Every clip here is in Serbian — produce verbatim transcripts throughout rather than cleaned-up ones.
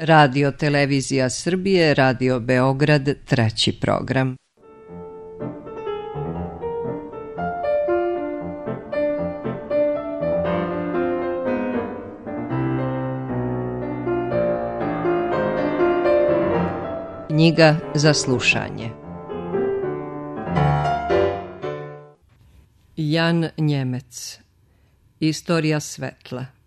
Radio Televizija Srbije, Radio Beograd, treći program. Knjiga za slušanje. Jan Njemec. Istorija svetla.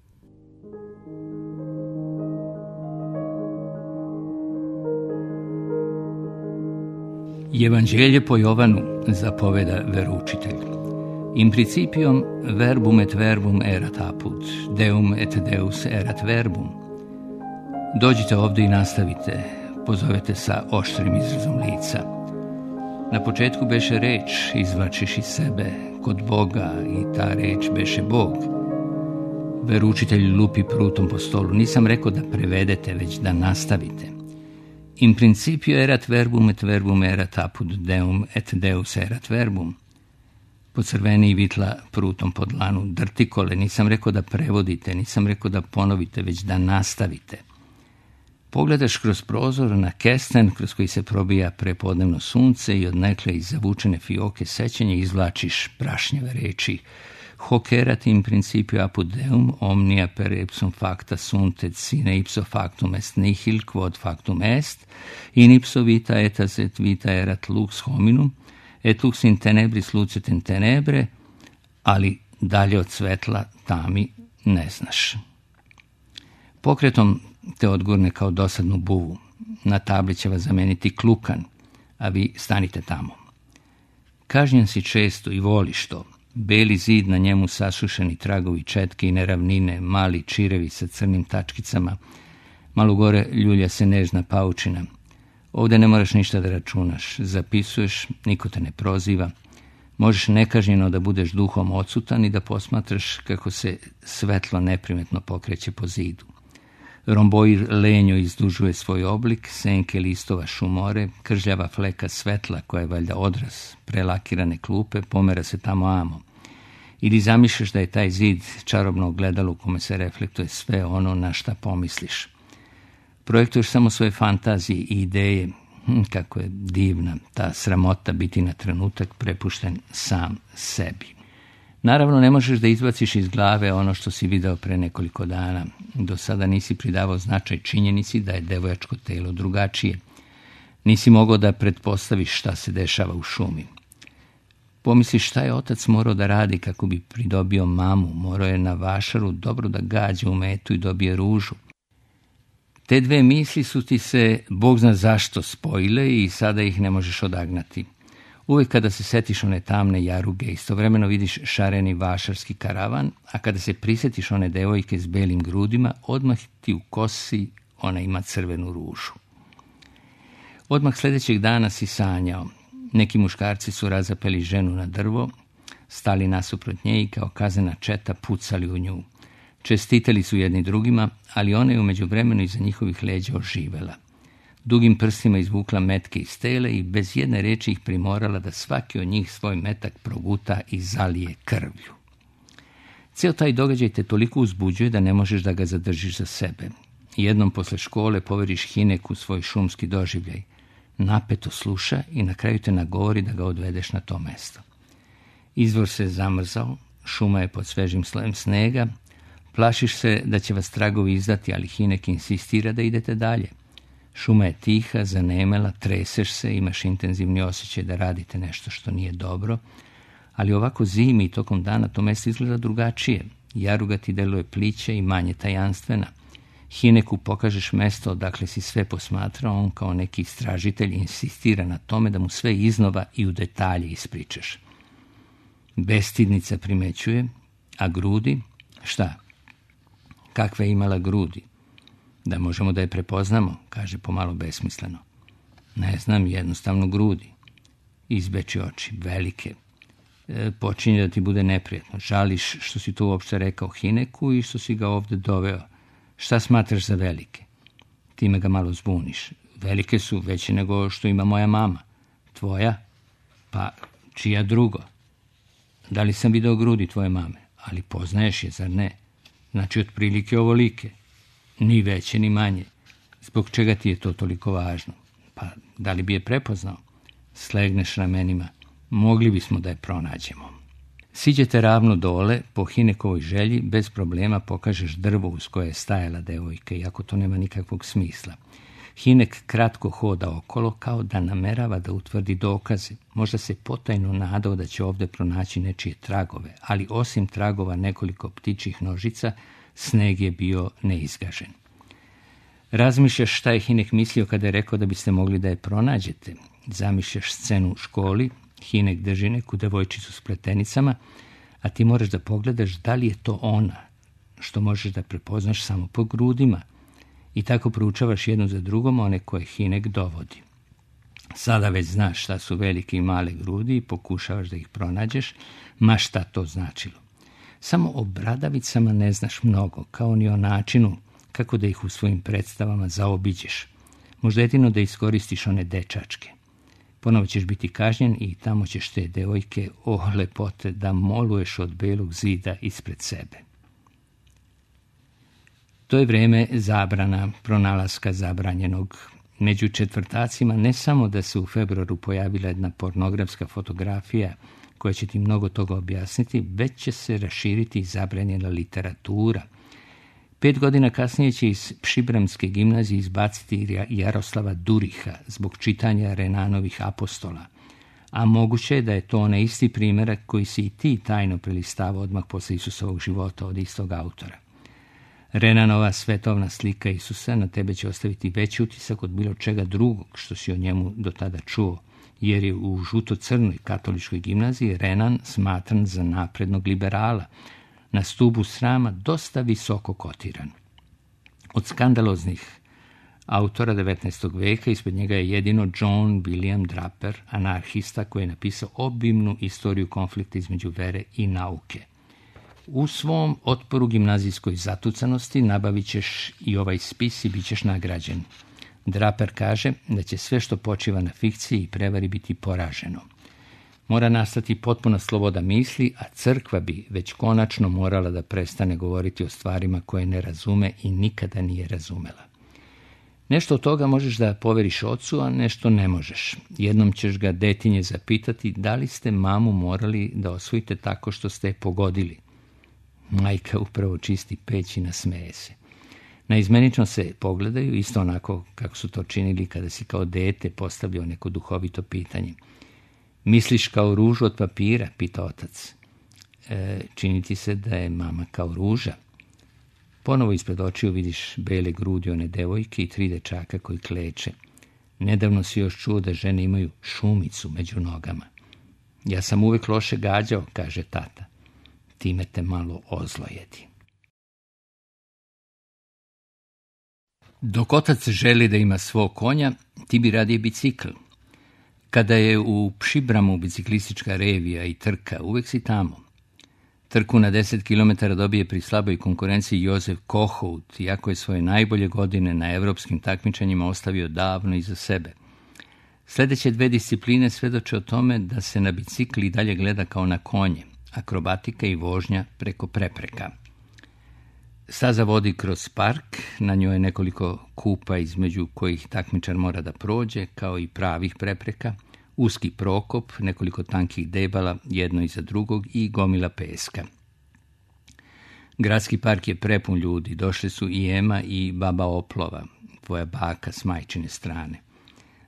Evanđelje po Jovanu zapoveda veroučitelj. In principium verbum et verbum erat apud, deum et deus erat verbum. Dođite ovdje i nastavite, pozovete sa oštrim izrazom lica. Na početku beše reč, izvlačiš iz sebe, kod Boga, i ta reč beše Bog. Veroučitelj lupi prutom po stolu. Nisam rekao da prevedete, već da nastavite. In principio erat verbum et verbum erat apud deum et deus erat verbum. Pocrveni i vitla prutom po dlanu. Drtikole, nisam rekao da prevodite, nisam rekao da ponovite, već da nastavite. Pogledaš kroz prozor na kesten kroz koji se probija prepodnevno sunce i odnekle iz zavučene fioke sećanja izvlačiš prašnjave reči. Hoc erat in principio apud deum omnia per ipsum facta sunt et sine ipso factum est nihil quod factum est, in ipso vita etas et vita erat lux hominum, et lux in tenebris lucet in tenebre, ali dalje od svetla tami ne znaš. Pokretom te odgurne kao dosadnu buvu. Na tabli će vas zameniti klukan, a vi stanite tamo. Kažnjen si često i voliš to. Beli zid, na njemu sasušeni tragovi četke i neravnine, mali čirevi sa crnim tačkicama, malo gore ljulja se nežna paučina. Ovdje ne moraš ništa da računaš, zapisuješ, niko te ne proziva, možeš nekažnjeno da budeš duhom odsutan i da posmatraš kako se svetlo neprimetno pokreće po zidu. Romboir lenjo izdužuje svoj oblik, senke listova šumore, kržljava fleka svetla koja je valjda odraz prelakirane klupe, pomera se tamo amo. Ili zamišljaš da je taj zid čarobno ogledalo u kome se reflektuje sve ono na šta pomisliš. Projektuješ samo svoje fantazije i ideje, hm, kako je divna ta sramota biti na trenutak prepušten sam sebi. Naravno, ne možeš da izbaciš iz glave ono što si video pre nekoliko dana. Do sada nisi pridavao značaj činjenici da je devojačko telo drugačije. Nisi mogao da pretpostaviš šta se dešava u šumi. Pomisliš šta je otac morao da radi kako bi pridobio mamu. Morao je na vašaru dobro da gađa u metu i dobije ružu. Te dve misli su ti se, Bog zna zašto, spojile i sada ih ne možeš odagnati. Uvijek kada se setiš one tamne jaruge, istovremeno vidiš šareni vašarski karavan, a kada se prisjetiš one devojke s belim grudima, odmah ti u kosi ona ima crvenu ružu. Odmah sljedećeg dana si sanjao. Neki muškarci su razapeli ženu na drvo, stali nasuprot nje i kao kaznena četa pucali u nju. Čestitali su jedni drugima, ali ona je u međuvremenu iza njihovih leđa oživela. Dugim prstima izvukla metke iz tele i bez jedne reči ih primorala da svaki od njih svoj metak proguta i zalije krvlju. Cijel taj događaj te toliko uzbuđuje da ne možeš da ga zadržiš za sebe. Jednom posle škole poveriš Hineku svoj šumski doživljaj. Napeto sluša i na kraju te nagovori da ga odvedeš na to mesto. Izvor se zamrzao, šuma je pod svežim slojem snega, plašiš se da će vas tragovi izdati, ali Hinek insistira da idete dalje. Šuma je tiha, zanemela, treseš se, imaš intenzivni osjećaj da radite nešto što nije dobro, ali ovako zimi i tokom dana to mesto izgleda drugačije. Jaruga ti deluje pliće i manje tajanstvena. Hineku pokažeš mesto odakle si sve posmatrao, on kao neki istražitelj insistira na tome da mu sve iznova i u detalje ispričaš. Bestidnica primećuje, a grudi, šta? Kakve je imala grudi? Da možemo da je prepoznamo, kaže pomalo besmisleno. Ne znam, jednostavno grudi. Izbeči oči, velike. E, počinje da ti bude neprijatno. Žališ što si to uopšte rekao Hineku i što si ga ovde doveo. Šta smatraš za velike? Time ga malo zbuniš. Velike su veće nego što ima moja mama. Tvoja? Pa čija drugo? Da li sam video grudi tvoje mame? Ali poznaješ je, zar ne? Znači, otprilike ovolike. Ni veće, ni manje. Zbog čega ti je to toliko važno? Pa, da li bi je prepoznao? Slegneš ramenima. Mogli bismo da je pronađemo. Siđete ravno dole, po Hinekovoj želji, bez problema pokažeš drvo uz koje je stajala devojka, iako to nema nikakvog smisla. Hinek kratko hoda okolo, kao da namerava da utvrdi dokaze. Možda se potajno nadao da će ovdje pronaći nečije tragove, ali osim tragova nekoliko ptičjih nožica, sneg je bio neizgažen. Razmišljaš šta je Hinek mislio kada je rekao da biste mogli da je pronađete. Zamišljaš scenu u školi, Hinek drži neku devojčicu s pletenicama, a ti moraš da pogledaš da li je to ona, što možeš da prepoznaš samo po grudima. I tako proučavaš jednu za drugom one koje Hinek dovodi. Sada već znaš šta su velike i male grudi i pokušavaš da ih pronađeš, ma šta to značilo. Samo o bradavicama ne znaš mnogo, kao ni o načinu kako da ih u svojim predstavama zaobiđeš. Možda jedino da iskoristiš one dečačke. Ponovo ćeš biti kažnjen i tamo ćeš te devojke, o lepote, da moluješ od belog zida ispred sebe. To je vreme zabrana, pronalaska zabranjenog. Među četvrtacima ne samo da se u februaru pojavila jedna pornografska fotografija koja će ti mnogo toga objasniti, već će se raširiti i zabranjena literatura. Pet godina kasnije će iz Pšibramske gimnazije izbaciti Jaroslava Duriha zbog čitanja Renanovih apostola. A moguće je da je to onaj isti primjerak koji si i ti tajno prelistavao odmah posle Isusovog života od istog autora. Renanova svetovna slika Isusa na tebe će ostaviti veći utisak od bilo čega drugog što si o njemu do tada čuo, jer je u žuto-crnoj katoličkoj gimnaziji Renan smatran za naprednog liberala, na stubu srama dosta visoko kotiran. Od skandaloznih autora devetnaestog veka ispred njega je jedino John William Draper, anarhista koji je napisao obimnu istoriju konflikta između vere i nauke. U svom otporu gimnazijskoj zatucanosti nabavit ćeš i ovaj spis i bit ćeš nagrađen. Draper kaže da će sve što počiva na fikciji i prevari biti poraženo. Mora nastati potpuna sloboda misli, a crkva bi već konačno morala da prestane govoriti o stvarima koje ne razume i nikada nije razumela. Nešto od toga možeš da poveriš ocu, a nešto ne možeš. Jednom ćeš ga detinje zapitati da li ste mamu morali da osvojite tako što ste je pogodili. Majka upravo čisti peć i nasmeje se. Naizmenično se pogledaju, isto onako kako su to činili kada si kao dete postavljao neko duhovito pitanje. Misliš kao ružu od papira, pita otac. E, čini ti se da je mama kao ruža. Ponovo ispred očiju vidiš bele grudi one devojke i tri dečaka koji kleče. Nedavno si još čuo da žene imaju šumicu među nogama. Ja sam uvek loše gađao, kaže tata. Time te malo ozlojedi. Dok otac želi da ima svog konja, ti bi radije bicikl. Kada je u Pšibramu biciklistička revija i trka, uvek si tamo. Trku na deset kilometara dobije pri slaboj konkurenciji Jozef Kohout, iako je svoje najbolje godine na evropskim takmičenjima ostavio davno iza sebe. Sljedeće dve discipline svedoče o tome da se na bicikli dalje gleda kao na konje, akrobatika i vožnja preko prepreka. Staza vodi kroz park, na njoj je nekoliko kupa između kojih takmičar mora da prođe, kao i pravih prepreka, uski prokop, nekoliko tankih debala, jedno iza drugog i gomila peska. Gradski park je prepun ljudi, došli su i Ema i baba Oplova, tvoja baka s majčine strane.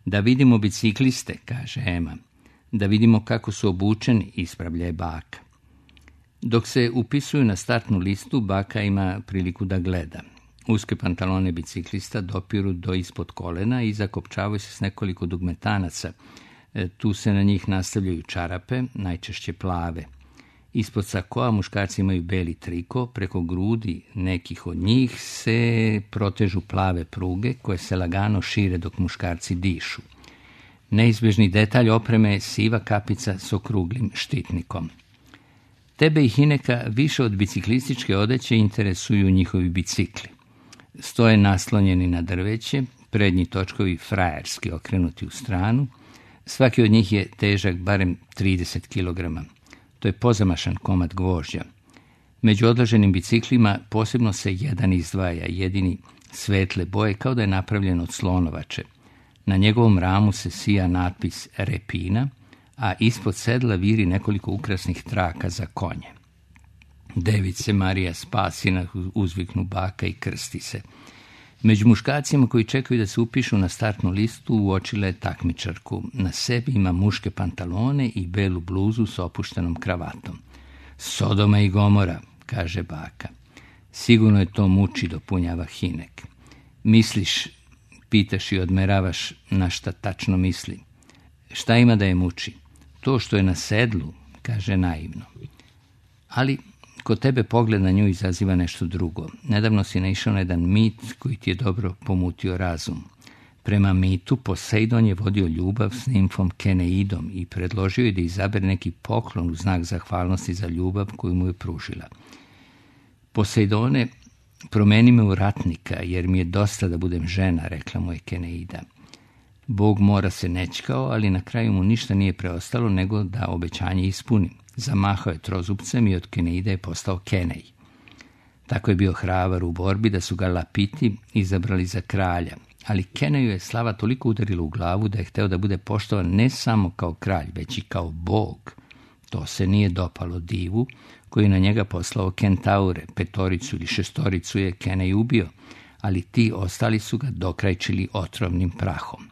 Da vidimo bicikliste, kaže Ema, da vidimo kako su obučeni, ispravlja je baka. Dok se upisuju na startnu listu, baka ima priliku da gleda. Uske pantalone biciklista dopiru do ispod kolena i zakopčavaju se s nekoliko dugmetanaca. E, tu se na njih nastavljaju čarape, najčešće plave. Ispod sakoa muškarci imaju beli triko, preko grudi nekih od njih se protežu plave pruge koje se lagano šire dok muškarci dišu. Neizbježni detalj opreme je siva kapica s okruglim štitnikom. Tebe i Hineka više od biciklističke odeće interesuju njihovi bicikli. Stoje naslonjeni na drveće, prednji točkovi frajerski okrenuti u stranu. Svaki od njih je težak barem trideset kilograma. To je pozamašan komad gvožđa. Među odloženim biciklima posebno se jedan izdvaja, jedini svetle boje kao da je napravljen od slonovače. Na njegovom ramu se sija natpis Repina, a ispod sedla viri nekoliko ukrasnih traka za konje. Device Marija Spasina, uzviknu baka i krsti se. Među muškacima koji čekaju da se upišu na startnu listu uočila je takmičarku. Na sebi ima muške pantalone i belu bluzu s opuštenom kravatom. Sodoma i Gomora, kaže baka. Sigurno je to muči, dopunjava Hinek. Misliš, pitaš i odmeravaš na šta tačno misli. Šta ima da je muči? To što je na sedlu, kaže naivno. Ali kod tebe pogled na nju izaziva nešto drugo. Nedavno si naišao na jedan mit koji ti je dobro pomutio razum. Prema mitu, Poseidon je vodio ljubav s nimfom Keneidom i predložio je da izabere neki poklon u znak zahvalnosti za ljubav koju mu je pružila. Poseidone, promeni me u ratnika, jer mi je dosta da budem žena, rekla mu je Keneida. Bog mora se nećkao, ali na kraju mu ništa nije preostalo nego da obećanje ispuni. Zamahao je trozubcem i od Keneida je postao Kenej. Tako je bio hrabar u borbi da su ga Lapiti izabrali za kralja, ali Keneju je slava toliko udarila u glavu da je hteo da bude poštovan ne samo kao kralj, već i kao bog. To se nije dopalo divu, koji je na njega poslao kentaure, petoricu ili šestoricu je Kenej ubio, ali ti ostali su ga dokrajčili otrovnim prahom.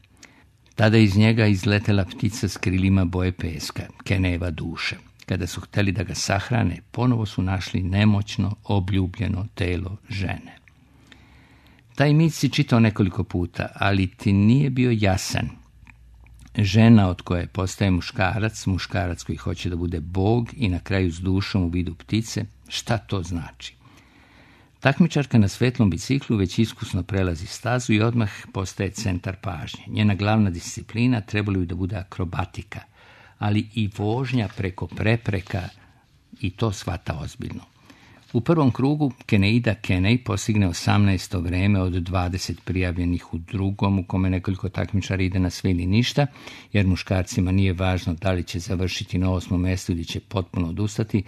Tada iz njega izletela ptica s krilima boje peska, Kenejeva duša. Kada su hteli da ga sahrane, ponovo su našli nemoćno, obljubljeno telo žene. Taj mit si čitao nekoliko puta, ali ti nije bio jasan. Žena od koje postaje muškarac, muškarac koji hoće da bude bog i na kraju s dušom u vidu ptice, šta to znači? Takmičarka na svetlom biciklu već iskusno prelazi stazu i odmah postaje centar pažnje. Njena glavna disciplina trebalo bi da bude akrobatika, ali i vožnja preko prepreka, i to shvata ozbiljno. U prvom krugu Keneida Kenej postigne osamnaesto vreme od dvadeset prijavljenih, u drugom u kome nekoliko takmičara ide na sve ili ništa, jer muškarcima nije važno da li će završiti na osmom mjestu ili će potpuno odustati,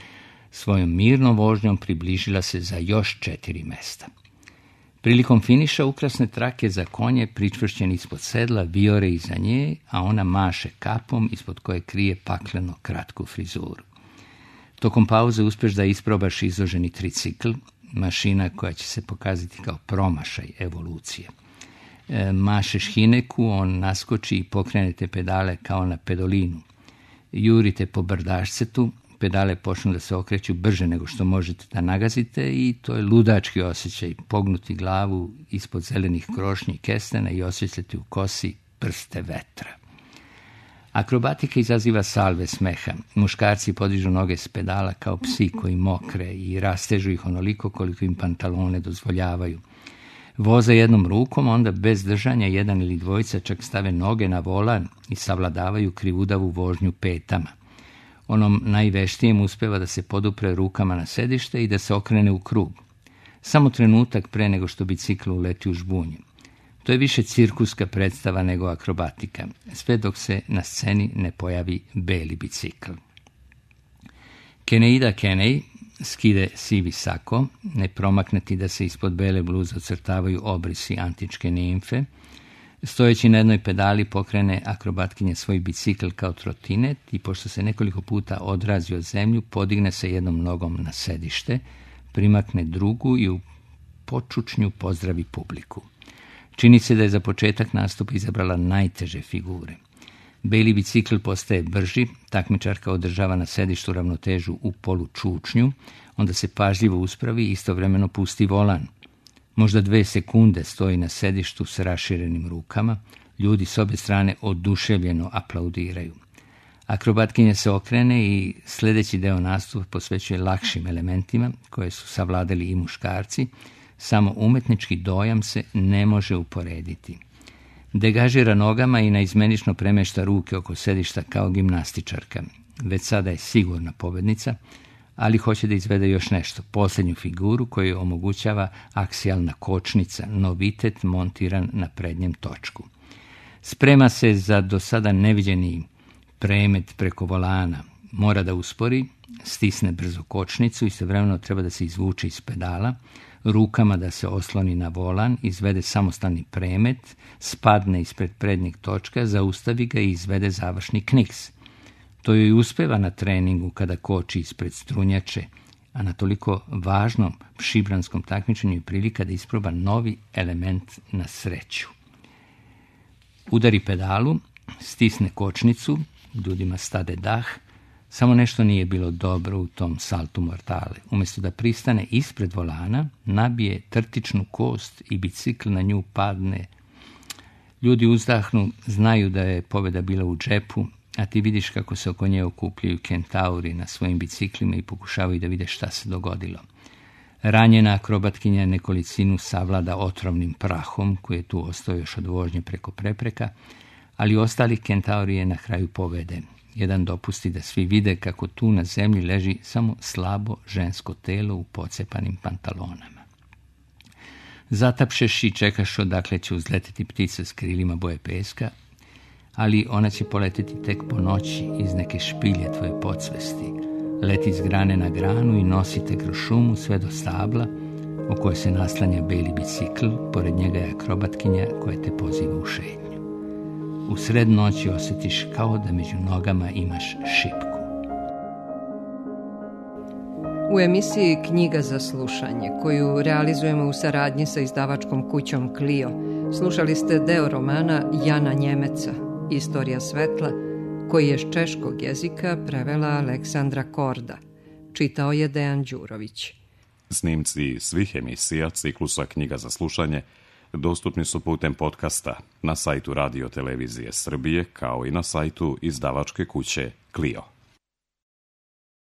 svojom mirnom vožnjom približila se za još četiri mjesta. Prilikom finiša ukrasne trake za konje pričvršćen ispod sedla vijore iza nje, a ona maše kapom ispod koje krije pakleno kratku frizuru. Tokom pauze uspješ da isprobaš izloženi tricikl, mašina koja će se pokazati kao promašaj evolucije. E, mašeš Hineku, on naskoči i pokrenete pedale kao na pedolinu. Jurite po brdašcetu, pedale počnu da se okreću brže nego što možete da nagazite i to je ludački osjećaj, pognuti glavu ispod zelenih krošnji kestena i osjećati u kosi prste vetra. Akrobatika izaziva salve smeha. Muškarci podižu noge s pedala kao psi koji mokre i rastežu ih onoliko koliko im pantalone dozvoljavaju. Voze jednom rukom, onda bez držanja jedan ili dvojica čak stave noge na volan i savladavaju krivudavu vožnju petama. Onom najveštijem uspeva da se podupre rukama na sedište i da se okrene u krug. Samo trenutak pre nego što bicikl uleti u žbunju. To je više cirkuska predstava nego akrobatika, sve dok se na sceni ne pojavi beli bicikl. Keneida Kenej skide sivi sako, ne promakne ti da se ispod bele bluze ocrtavaju obrisi antičke nimfe. Stojeći na jednoj pedali pokrene akrobatkinje svoj bicikl kao trotinet i pošto se nekoliko puta odrazi od zemlju, podigne se jednom nogom na sedište, primakne drugu i u počučnju pozdravi publiku. Čini se da je za početak nastupa izabrala najteže figure. Beli bicikl postaje brži, takmičarka održava na sedištu ravnotežu u polučučnju, onda se pažljivo uspravi i istovremeno pusti volan. Možda dve sekunde stoji na sedištu s raširenim rukama, ljudi s obje strane oduševljeno aplaudiraju. Akrobatkinja se okrene i sljedeći deo nastupa posvećuje lakšim elementima koje su savladali i muškarci, samo umetnički dojam se ne može uporediti. Degažira nogama i naizmenično premešta ruke oko sedišta kao gimnastičarka. Već sada je sigurna pobednica, ali hoće da izvede još nešto, posljednju figuru koju omogućava aksijalna kočnica, novitet montiran na prednjem točku. Sprema se za do sada neviđeni premet preko volana. Mora da uspori, stisne brzo kočnicu i istovremeno treba da se izvuče iz pedala. rukama da se osloni na volan, izvede samostalni premet, spadne ispred prednjeg točka, zaustavi ga i izvede završni kniks. To joj uspeva na treningu kada koči ispred strunjače, a na toliko važnom šibranskom takmičenju je prilika da isproba novi element na sreću. Udari pedalu, stisne kočnicu, ljudima stade dah, samo nešto nije bilo dobro u tom saltu mortale. Umjesto da pristane ispred volana, nabije trtičnu kost i bicikl na nju padne. Ljudi uzdahnu, znaju da je pobjeda bila u džepu, a ti vidiš kako se oko nje okupljaju kentauri na svojim biciklima i pokušavaju da vide šta se dogodilo. Ranjena akrobatkinja nekolicinu savlada otrovnim prahom, koji je tu ostao još od vožnje preko prepreka, ali ostali kentauri je na kraju povede. Jedan dopusti da svi vide kako tu na zemlji leži samo slabo žensko telo u pocepanim pantalonama. Zatapšeš i čekaš odakle će uzleteti ptica s krilima boje peska, ali ona će poleteti tek po noći iz neke špilje tvoje podsvesti. Leti s grane na granu i nosite kroz šumu sve do stabla, o kojoj se naslanja beli bicikl, pored njega je akrobatkinja koja te poziva u šetnju. U sred noći osjetiš kao da među nogama imaš šipku. U emisiji Knjiga za slušanje, koju realizujemo u saradnji sa izdavačkom kućom Clio, slušali ste deo romana Jana Njemeca, Istorija svetla, koji je s češkog jezika prevela Aleksandra Korda. Čitao je Dejan Đurović. Snimci svih emisija ciklusa Knjiga za slušanje dostupni su putem podcasta na sajtu Radio Televizije Srbije, kao i na sajtu izdavačke kuće Clio.